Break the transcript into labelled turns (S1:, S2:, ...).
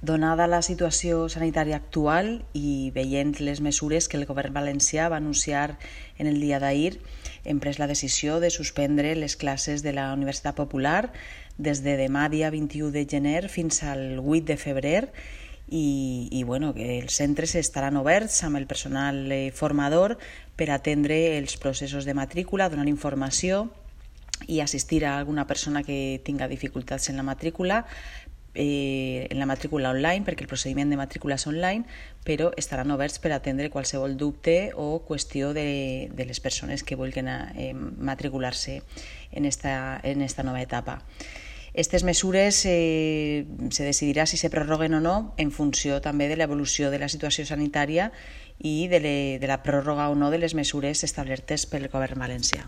S1: Donada la situació sanitària actual i veient les mesures que el govern valencià va anunciar en el dia d'ahir, hem pres la decisió de suspendre les classes de la Universitat Popular des de demà, dia 21 de gener, fins al 8 de febrer i que els centres estaran oberts amb el personal formador per atendre els processos de matrícula, donar informació i assistir a alguna persona que tinga dificultats en la matrícula online, perquè el procediment de matrícula és online, però estaran oberts per atendre qualsevol dubte o qüestió de les persones que vulguin matricular-se en esta nova etapa. Aquestes mesures se decidirà si se prorroguen o no en funció també de l'evolució de la situació sanitària i de la pròrroga o no de les mesures establertes pel govern valencià.